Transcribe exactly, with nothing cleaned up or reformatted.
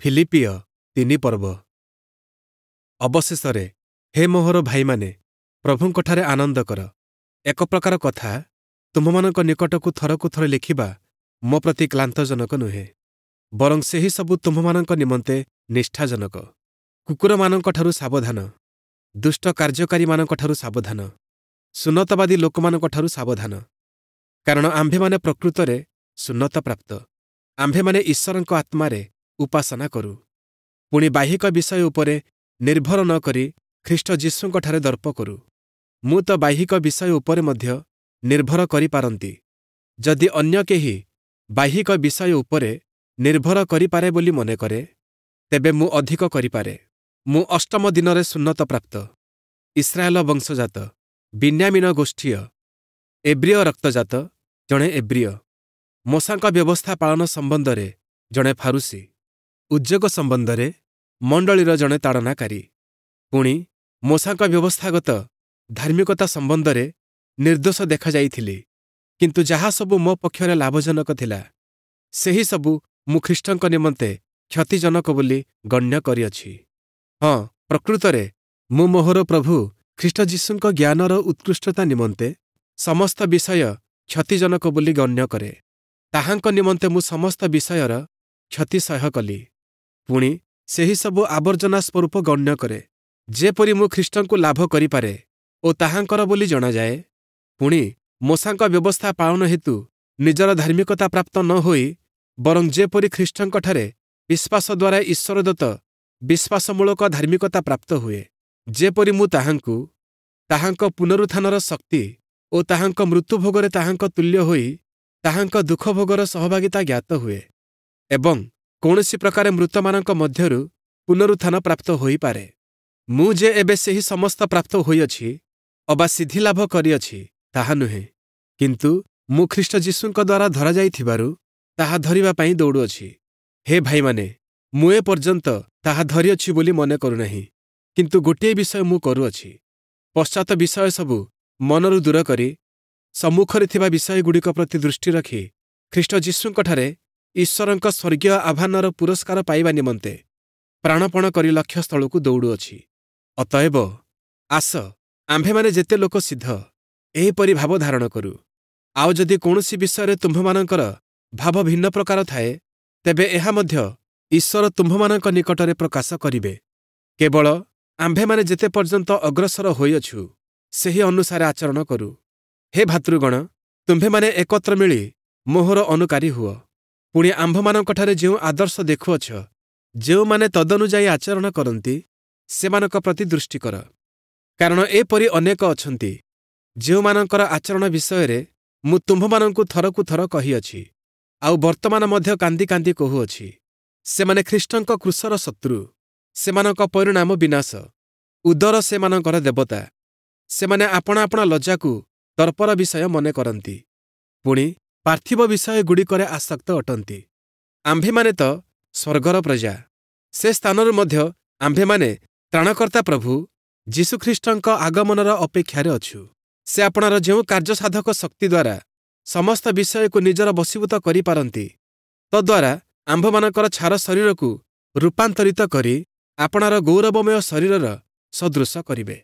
ଫିଲିପ୍ପୀୟ ତିନି ପର୍ବ। ଅବଶେଷରେ ହେ ମୋହର ଭାଇମାନେ, ପ୍ରଭୁଙ୍କଠାରେ ଆନନ୍ଦ କର। ଏକ ପ୍ରକାର କଥା ତୁମ୍ଭମାନଙ୍କ ନିକଟକୁ ଥରକୁ ଥର ଲେଖିବା ମୋ ପ୍ରତି କ୍ଳାନ୍ତଜନକ ନୁହେଁ, ବରଂ ସେହି ସବୁ ତୁମ୍ଭମାନଙ୍କ ନିମନ୍ତେ ନିଷ୍ଠାଜନକ। କୁକୁରମାନଙ୍କଠାରୁ ସାବଧାନ, ଦୁଷ୍ଟ କାର୍ଯ୍ୟକାରୀମାନଙ୍କଠାରୁ ସାବଧାନ, ସୁନ୍ନତବାଦୀ ଲୋକମାନଙ୍କଠାରୁ ସାବଧାନ। କାରଣ ଆମ୍ଭେମାନେ ପ୍ରକୃତରେ ସୁନ୍ନତପ୍ରାପ୍ତ, ଆମ୍ଭେମାନେ ଈଶ୍ୱରଙ୍କ ଆତ୍ମାରେ ଉପାସନା କରୁ, ପୁଣି ବାହ୍ୟିକ ବିଷୟ ଉପରେ ନିର୍ଭର ନ କରି ଖ୍ରୀଷ୍ଟ ଯୀଶୁଙ୍କଠାରେ ଦର୍ପ କରୁ। ମୁଁ ତ ବାହ୍ୟିକ ବିଷୟ ଉପରେ ମଧ୍ୟ ନିର୍ଭର କରିପାରନ୍ତି। ଯଦି ଅନ୍ୟ କେହି ବାହ୍ୟିକ ବିଷୟ ଉପରେ ନିର୍ଭର କରିପାରେ ବୋଲି ମନେକରେ, ତେବେ ମୁଁ ଅଧିକ କରିପାରେ। ମୁଁ ଅଷ୍ଟମ ଦିନରେ ସୁନ୍ନତପ୍ରାପ୍ତ, ଇସ୍ରାଏଲ ବଂଶଜାତ, ବିନ୍ୟାମୀନ ଗୋଷ୍ଠୀୟ, ଏବ୍ରୀୟ ରକ୍ତଜାତ ଜଣେ ଏବ୍ରୀୟ, ମୋଶାଙ୍କ ବ୍ୟବସ୍ଥା ପାଳନ ସମ୍ବନ୍ଧରେ ଜଣେ ଫାରୂଶୀ, ଉଦ୍ଯୋଗ ସମ୍ବନ୍ଧରେ ମଣ୍ଡଳୀର ଜଣେ ତାଡ଼ନାକାରୀ, ପୁଣି ମୋଶାଙ୍କ ବ୍ୟବସ୍ଥାଗତ ଧାର୍ମିକତା ସମ୍ବନ୍ଧରେ ନିର୍ଦ୍ଦୋଷ ଦେଖାଯାଇଥିଲି। କିନ୍ତୁ ଯାହା ସବୁ ମୋ ପକ୍ଷରେ ଲାଭଜନକ ଥିଲା, ସେହି ସବୁ ମୁଁ ଖ୍ରୀଷ୍ଟଙ୍କ ନିମନ୍ତେ କ୍ଷତିଜନକ ବୋଲି ଗଣ୍ୟ କରିଅଛି। ହଁ, ପ୍ରକୃତରେ ମୁଁ ମୋହର ପ୍ରଭୁ ଖ୍ରୀଷ୍ଟ ଯୀଶୁଙ୍କ ଜ୍ଞାନର ଉତ୍କୃଷ୍ଟତା ନିମନ୍ତେ ସମସ୍ତ ବିଷୟ କ୍ଷତିଜନକ ବୋଲି ଗଣ୍ୟ କରେ। ତାହାଙ୍କ ନିମନ୍ତେ ମୁଁ ସମସ୍ତ ବିଷୟର କ୍ଷତି ସହ୍ୟ କଲି, ପୁଣି ସେହି ସବୁ ଆବର୍ଜନା ସ୍ୱରୂପ ଗଣ୍ୟ କରେ, ଯେପରି ମୁଁ ଖ୍ରୀଷ୍ଟଙ୍କୁ ଲାଭ କରିପାରେ ଓ ତାହାଙ୍କର ବୋଲି ଜଣାଯାଏ। ପୁଣି ମୋଶାଙ୍କ ବ୍ୟବସ୍ଥା ପାଳନ ହେତୁ ନିଜର ଧାର୍ମିକତା ପ୍ରାପ୍ତ ନ ହୋଇ, ବରଂ ଯେପରି ଖ୍ରୀଷ୍ଟଙ୍କଠାରେ ବିଶ୍ୱାସ ଦ୍ୱାରା ଈଶ୍ୱରଦତ୍ତ ବିଶ୍ୱାସମୂଳକ ଧାର୍ମିକତା ପ୍ରାପ୍ତ ହୁଏ, ଯେପରି ମୁଁ ତାହାଙ୍କୁ, ତାହାଙ୍କ ପୁନରୁତ୍ଥାନର ଶକ୍ତି ଓ ତାହାଙ୍କ ମୃତ୍ୟୁଭୋଗରେ ତାହାଙ୍କ ତୁଲ୍ୟ ହୋଇ ତାହାଙ୍କ ଦୁଃଖଭୋଗର ସହଭାଗିତା ଜ୍ଞାତ ହୁଏ ଏବଂ କୌଣସି ପ୍ରକାରେ ମୃତମାନଙ୍କ ମଧ୍ୟରୁ ପୁନରୁତ୍ଥାନ ପ୍ରାପ୍ତ ହୋଇପାରେ। ମୁଁ ଯେ ଏବେ ସେହି ସମସ୍ତ ପ୍ରାପ୍ତ ହୋଇଅଛି ଅବା ସିଦ୍ଧିଲାଭ କରିଅଛି, ତାହା ନୁହେଁ, କିନ୍ତୁ ମୁଁ ଖ୍ରୀଷ୍ଟ ଯୀଶୁଙ୍କ ଦ୍ୱାରା ଧରାଯାଇଥିବାରୁ ତାହା ଧରିବା ପାଇଁ ଦୌଡ଼ୁଅଛି। ହେ ଭାଇମାନେ, ମୁଁ ଏ ପର୍ଯ୍ୟନ୍ତ ତାହା ଧରିଅଛି ବୋଲି ମନେ କରୁନାହିଁ, କିନ୍ତୁ ଗୋଟିଏ ବିଷୟ ମୁଁ କରୁଅଛି, ପଶ୍ଚାତ ବିଷୟ ସବୁ ମନରୁ ଦୂର କରି ସମ୍ମୁଖରେ ଥିବା ବିଷୟଗୁଡ଼ିକ ପ୍ରତି ଦୃଷ୍ଟି ରଖି ଖ୍ରୀଷ୍ଟ ଯୀଶୁଙ୍କଠାରେ ଈଶ୍ୱରଙ୍କ ସ୍ୱର୍ଗୀୟ ଆହ୍ୱାନର ପୁରସ୍କାର ପାଇବା ନିମନ୍ତେ ପ୍ରାଣପଣ କରି ଲକ୍ଷ୍ୟସ୍ଥଳକୁ ଦୌଡ଼ୁଅଛି। ଅତଏବ ଆସ, ଆମ୍ଭେମାନେ ଯେତେ ଲୋକ ସିଦ୍ଧ, ଏହିପରି ଭାବ ଧାରଣ କରୁ। ଆଉ ଯଦି କୌଣସି ବିଷୟରେ ତୁମ୍ଭମାନଙ୍କର ଭାବ ଭିନ୍ନ ପ୍ରକାର ଥାଏ, ତେବେ ଏହା ମଧ୍ୟ ଈଶ୍ୱର ତୁମ୍ଭମାନଙ୍କ ନିକଟରେ ପ୍ରକାଶ କରିବେ। କେବଳ ଆମ୍ଭେମାନେ ଯେତେ ପର୍ଯ୍ୟନ୍ତ ଅଗ୍ରସର ହୋଇଅଛୁ, ସେହି ଅନୁସାରେ ଆଚରଣ କରୁ। ହେ ଭାତୃଗଣ, ତୁମ୍ଭେମାନେ ଏକତ୍ର ମିଳି ମୋହର ଅନୁକାରୀ ହୁଅ, ପୁଣି ଆମ୍ଭମାନଙ୍କଠାରେ ଯେଉଁ ଆଦର୍ଶ ଦେଖୁଅଛ, ଯେଉଁମାନେ ତଦନୁଯାୟୀ ଆଚରଣ କରନ୍ତି, ସେମାନଙ୍କ ପ୍ରତି ଦୃଷ୍ଟି କର। କାରଣ ଏପରି ଅନେକ ଅଛନ୍ତି, ଯେଉଁମାନଙ୍କର ଆଚରଣ ବିଷୟରେ ମୁଁ ତୁମ୍ଭମାନଙ୍କୁ ଥରକୁ ଥର କହିଅଛି, ଆଉ ବର୍ତ୍ତମାନ ମଧ୍ୟ କାନ୍ଦି କାନ୍ଦି କହୁଅଛି, ସେମାନେ ଖ୍ରୀଷ୍ଟଙ୍କ କ୍ରୁଶର ଶତ୍ରୁ। ସେମାନଙ୍କ ପରିଣାମ ବିନାଶ, ଉଦର ସେମାନଙ୍କର ଦେବତା। ସେମାନେ ଆପଣା ଆପଣା ଲଜ୍ଜାକୁ ଦର୍ପର ବିଷୟ ମନେ କରନ୍ତି, ପୁଣି ପାର୍ଥିବ ବିଷୟଗୁଡ଼ିକରେ ଆସକ୍ତ ଅଟନ୍ତି। ଆମ୍ଭେମାନେ ତ ସ୍ୱର୍ଗର ପ୍ରଜା। ସେ ସ୍ଥାନରୁ ମଧ୍ୟ ଆମ୍ଭେମାନେ ତ୍ରାଣକର୍ତ୍ତା ପ୍ରଭୁ ଯୀଶୁଖ୍ରୀଷ୍ଟଙ୍କ ଆଗମନର ଅପେକ୍ଷାରେ ଅଛୁ। ସେ ଆପଣାର ଯେଉଁ କାର୍ଯ୍ୟସାଧକ ଶକ୍ତି ଦ୍ୱାରା ସମସ୍ତ ବିଷୟକୁ ନିଜର ବଶୀଭୂତ କରିପାରନ୍ତି, ତଦ୍ୱାରା ଆମ୍ଭମାନଙ୍କର ଛାର ଶରୀରକୁ ରୂପାନ୍ତରିତ କରି ଆପଣାର ଗୌରବମୟ ଶରୀରର ସଦୃଶ କରିବେ।